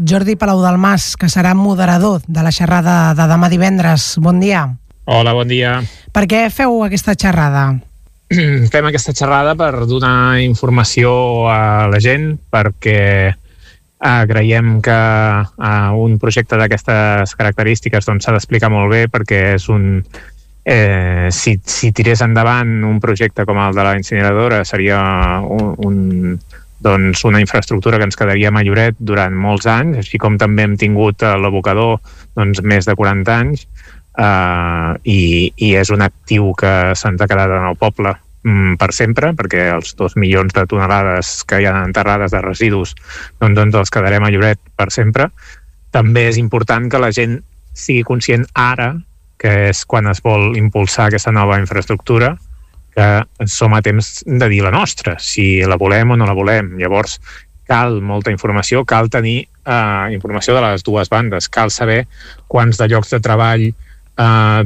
Jordi Palau-Delmas, que serà moderador de la xerrada de demà divendres. Bon dia. Hola, bon dia. Per què feu aquesta xerrada? Fem aquesta xerrada per donar informació a la gent, perquè creiem que un projecte d'aquestes característiques s'ha d'explicar molt bé, perquè és si tirés endavant un projecte com el de la incineradora seria una infraestructura que ens quedaria a Lloret durant molts anys, així com també hem tingut l'abocador més de 40 anys, i és un actiu que se'ns ha quedat en el poble per sempre, perquè els 2 milions de tonelades que hi ha enterrades de residus doncs els quedarem a Lloret per sempre. També és important que la gent sigui conscient ara, que és quan es vol impulsar aquesta nova infraestructura, que som a temps de dir la nostra, si la volem o no la volem. Llavors cal molta informació, cal tenir informació de les dues bandes, cal saber quants de llocs de treball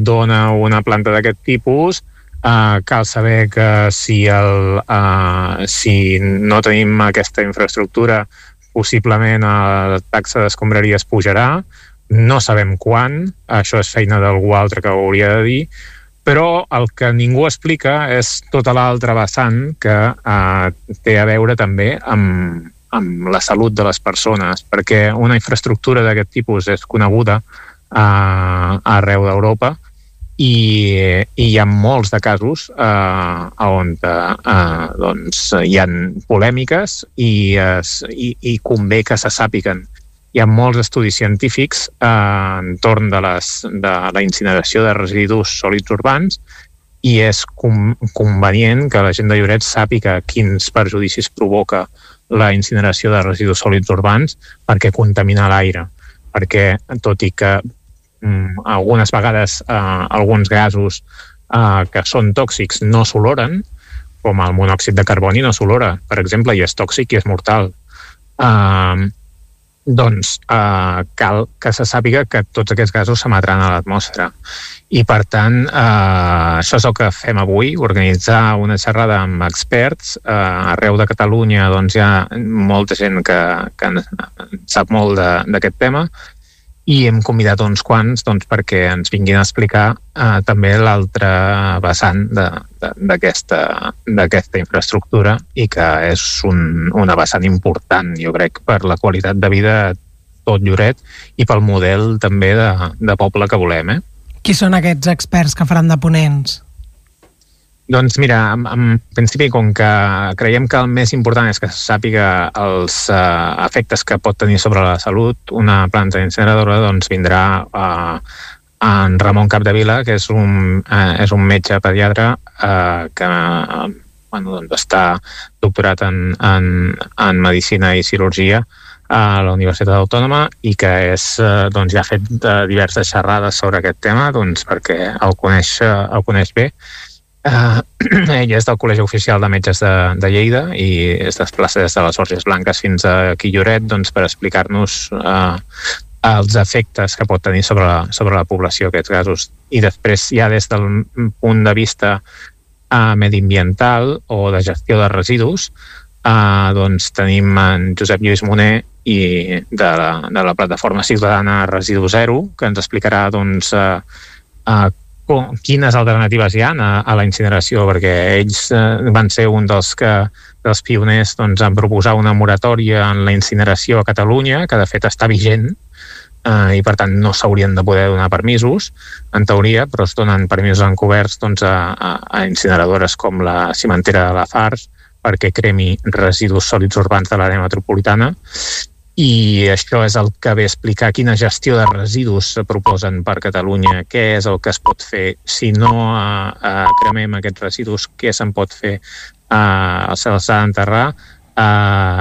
dona una planta d'aquest tipus, cal saber que si no tenim aquesta infraestructura possiblement la taxa d'escombraries pujarà, no sabem quan, això és feina d'algú altre que ho hauria de dir, però el que ningú explica és tota l'altra vessant que té a veure també amb la salut de les persones, perquè una infraestructura d'aquest tipus és coneguda arreu d'Europa, i hi ha molts de casos on hi ha polèmiques i convé que se sàpiguen. Hi ha molts estudis científics entorn de la incineració de residus sòlids urbans, i és convenient que la gent de Lloret sàpiga quins perjudicis provoca la incineració de residus sòlids urbans, perquè contamina l'aire, perquè tot i que algunes vegades alguns gasos que són tòxics no s'oloren, com el monòxid de carboni no s'olora, per exemple, i és tòxic i és mortal. Cal que se sàpiga que tots aquests gasos s'emetran a l'atmosfera. I, per tant, això és el que fem avui, organitzar una xerrada amb experts. Arreu de Catalunya hi ha molta gent que sap molt d'aquest tema, i hem convidat uns quants perquè ens vinguin a explicar també l'altra vessant d'aquesta infraestructura, i que és una vessant important, jo crec, per la qualitat de vida de tot Lloret i pel model també de poble que volem. Qui són aquests experts que faran de ponents? Doncs mira, en principi, com que creiem que el més important és que se sàpiga els efectes que pot tenir sobre la salut una planta incineradora, vindrà en Ramon Capdevila, que és un metge pediatre que està doctorat en Medicina i Cirurgia a la Universitat Autònoma, i que ja ha fet diverses xerrades sobre aquest tema, perquè el coneix bé. Ell és del Col·legi Oficial de Metges de Lleida i es desplaça des de les Borges Blanques fins aquí a Lloret per explicar-nos els efectes que pot tenir sobre la població aquests gasos. I després, ja des del punt de vista mediambiental o de gestió de residus, tenim en Josep Lluís Moner de la plataforma ciutadana Residu Zero, que ens explicarà quines alternatives hi ha a la incineració, perquè ells van ser un dels pioners en proposar una moratòria en la incineració a Catalunya, que de fet està vigent, i per tant no s'haurien de poder donar permisos, en teoria, però es donen permisos encoberts a incineradores com la cimentera de Lafarge, perquè cremi residus sòlids urbans de l'àrea metropolitana. I això és el que ve a explicar quina gestió de residus se proposen per Catalunya, què és el que es pot fer si no cremem aquests residus, què se'n pot fer, se'ls ha d'enterrar.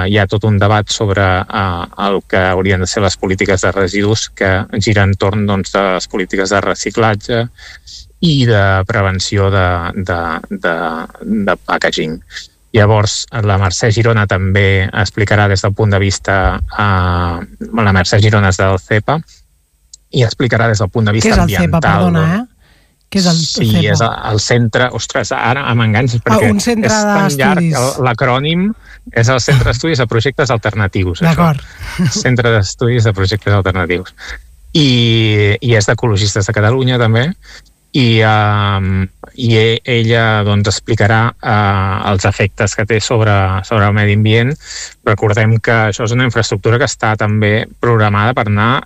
Hi ha tot un debat sobre el que haurien de ser les polítiques de residus, que giren entorn de les polítiques de reciclatge i de prevenció de packaging. Llavors, la Mercè Girona també explicarà des del punt de vista... La Mercè Girona és del CEPA i explicarà des del punt de vista ambiental. Què és el CEPA, perdona, Què és el CEPA? Sí, és el centre... Ostres, ara m'enganxes perquè un centre és tan llarg l'acrònim És el Centre d'Estudis de Projectes Alternatius. D'acord. Centre d'Estudis de Projectes Alternatius. I és d'Ecologistes de Catalunya, també, i ella doncs, explicarà els efectes que té sobre el medi ambient. Recordem que això és una infraestructura que està també programada per anar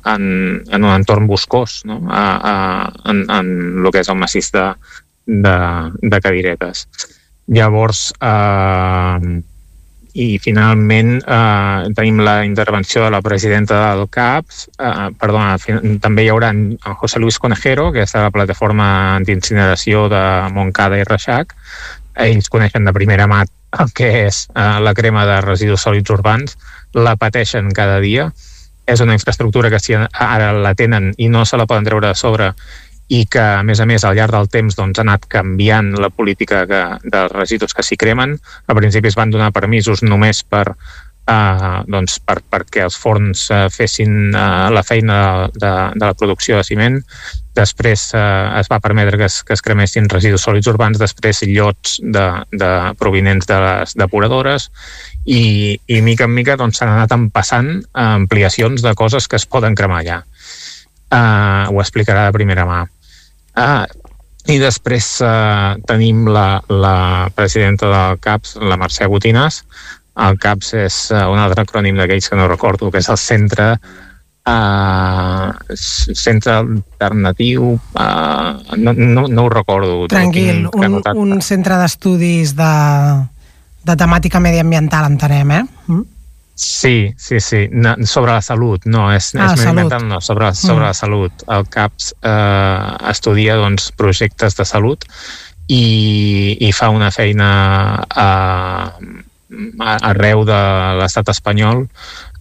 en un entorn boscós, no? En el que és el massís de Cadiretes. Llavors, i finalment tenim la intervenció de la presidenta del CAPS, també hi haurà en José Luis Conejero, que és de la plataforma antiincineració de Montcada i Reixac. Ells coneixen de primera mà el que és la crema de residus sòlids urbans, la pateixen cada dia. És una infraestructura que si ara la tenen i no se la poden treure de sobre, i que, a més, al llarg del temps doncs, ha anat canviant la política dels residus que s'hi cremen. Al principi es van donar permisos només perquè els forns fessin la feina de la producció de ciment. Després es va permetre que es cremessin residus sòlids urbans, després llots provinents de les depuradores, i mica en mica doncs, s'han anat empassant ampliacions de coses que es poden cremar allà. Ho explicarà de primera mà. I després tenim la presidenta del CAPS, la Mercè Botinàs. El CAPS és un altre acrònim d'aquells que no recordo, que és el Centre Alternatiu, no ho recordo. Tranquil, un centre d'estudis de temàtica mediambiental, entenem, Sí. Sobre la salut, no, és mediambiental, no, sobre la salut. El CAPS estudia doncs, projectes de salut i fa una feina arreu de l'estat espanyol.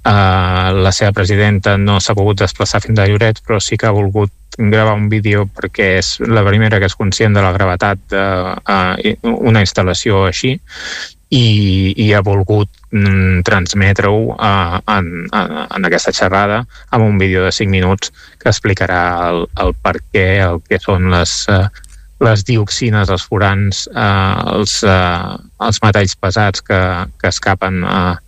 La seva presidenta no s'ha pogut desplaçar fins a Lloret, però sí que ha volgut gravar un vídeo perquè és la primera que és conscient de la gravetat d'una instal·lació així, i ha volgut transmetre-ho en aquesta xerrada amb un vídeo de 5 minuts que explicarà el per què, el que són les dioxines, els furans, els metalls pesats que escapen a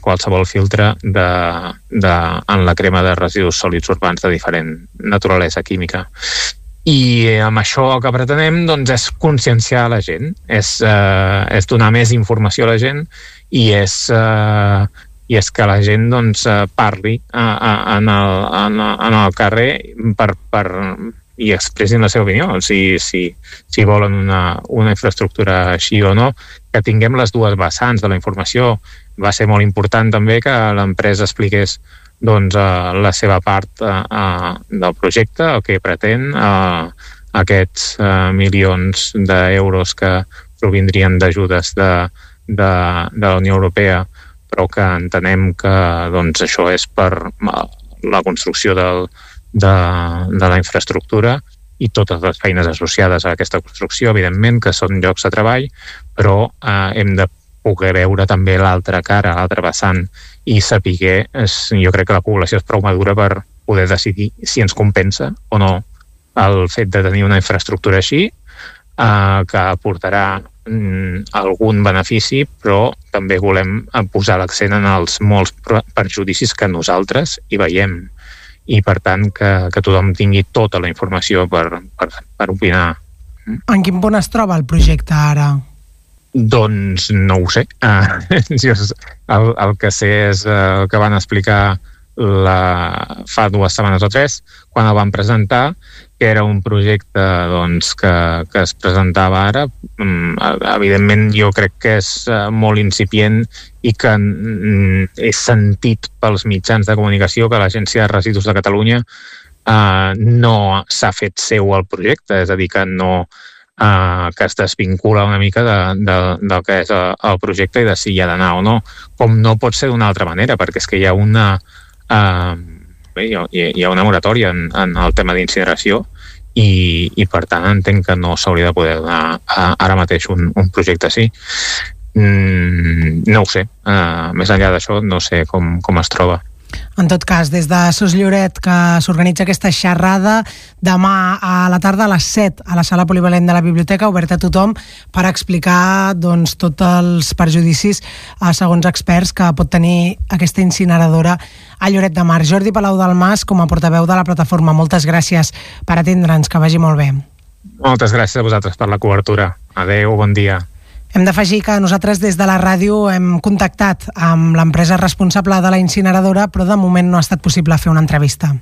qualsevol filtre en la crema de residus sòlids urbans de diferent naturalesa química. I amb això el que pretenem doncs, és conscienciar la gent, és donar més informació a la gent i és que la gent doncs, parli en el carrer i expressin la seva opinió, si volen una infraestructura així o no, que tinguem les dues vessants de la informació. Va ser molt important també que l'empresa expliqués doncs, la seva part del projecte, el que pretén, aquests milions d'euros que provindrien d'ajudes de la Unió Europea, però que entenem que doncs, això és per la construcció de la infraestructura i totes les feines associades a aquesta construcció, evidentment, que són llocs de treball, però hem de poder veure també l'altra cara, l'altra vessant, i saber, jo crec que la població és prou madura per poder decidir si ens compensa o no el fet de tenir una infraestructura així, que aportarà algun benefici, però també volem posar l'accent en els molts perjudicis que nosaltres hi veiem, i per tant que tothom tingui tota la informació per opinar. En quin punt es troba el projecte ara? Doncs no ho sé. El que sé és el que van explicar fa 2 setmanes o 3, quan el van presentar, que era un projecte doncs, que es presentava ara. Evidentment, jo crec que és molt incipient i que és sentit pels mitjans de comunicació que l'Agència de Residus de Catalunya no s'ha fet seu el projecte, és a dir, que no que es desvincula una mica del que és el projecte i de si hi ha d'anar o no, com no pot ser d'una altra manera, perquè és que hi ha una moratòria en el tema d'incineració i per tant entenc que no s'hauria de poder donar ara mateix un projecte així. No ho sé, més enllà d'això no sé com es troba. En tot cas, des de Sos Lloret, que s'organitza aquesta xerrada demà a la tarda a les 7 a la sala polivalent de la biblioteca, oberta a tothom, per explicar doncs, tots els perjudicis, segons experts, que pot tenir aquesta incineradora a Lloret de Mar. Jordi Palau Dalmas, com a portaveu de la plataforma, moltes gràcies per atendre'ns, que vagi molt bé. Moltes gràcies a vosaltres per la cobertura. Adéu, bon dia. Hem d'afegir que nosaltres des de la ràdio hem contactat amb l'empresa responsable de la incineradora, però de moment no ha estat possible fer una entrevista.